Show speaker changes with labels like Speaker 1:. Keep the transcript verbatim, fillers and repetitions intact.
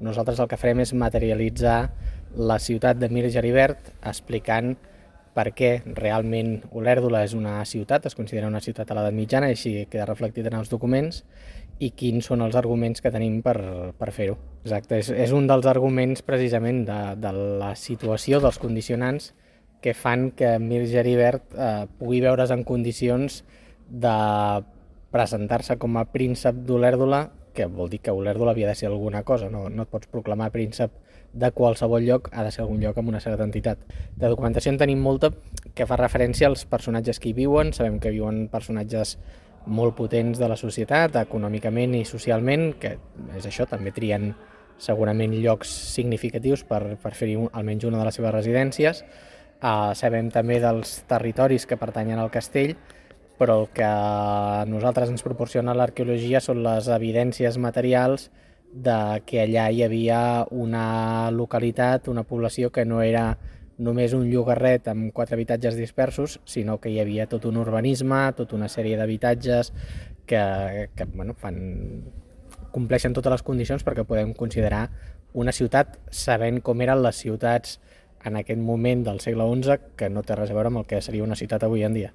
Speaker 1: nosaltres el que farem és materialitzar la ciutat de Mir Geribert explicant per què realment Olèrdola és una ciutat, es considera una ciutat a l'edat mitjana, i així queda reflectit en els documents, i quins són els arguments que tenim per, per fer-ho. Exacte, és, és un dels arguments precisament de, de la situació, dels condicionants que fan que Mir Geribert eh, pugui veure's en condicions de presentar-se com a príncep d'Olèrdola, que vol dir que Olèrdola havia de ser alguna cosa, no, no et pots proclamar príncep de qualsevol lloc, ha de ser algun lloc amb una certa entitat. De documentació en tenim molta que fa referència als personatges que hi viuen, sabem que viuen personatges molt potents de la societat, econòmicament i socialment, que és això, també trien segurament llocs significatius per, per fer-hi un, almenys una de les seves residències. Uh, sabem també dels territoris que pertanyen al castell, però el que a nosaltres ens proporciona l'arqueologia són les evidències materials de que allà hi havia una localitat, una població que no era només un llogarret amb quatre habitatges dispersos, sinó que hi havia tot un urbanisme, tota una sèrie d'habitatges que, que bueno, fan, compleixen totes les condicions perquè podem considerar una ciutat sabent com eren les ciutats en aquest moment del segle onze, que no té res a veure amb el que seria una ciutat avui en dia.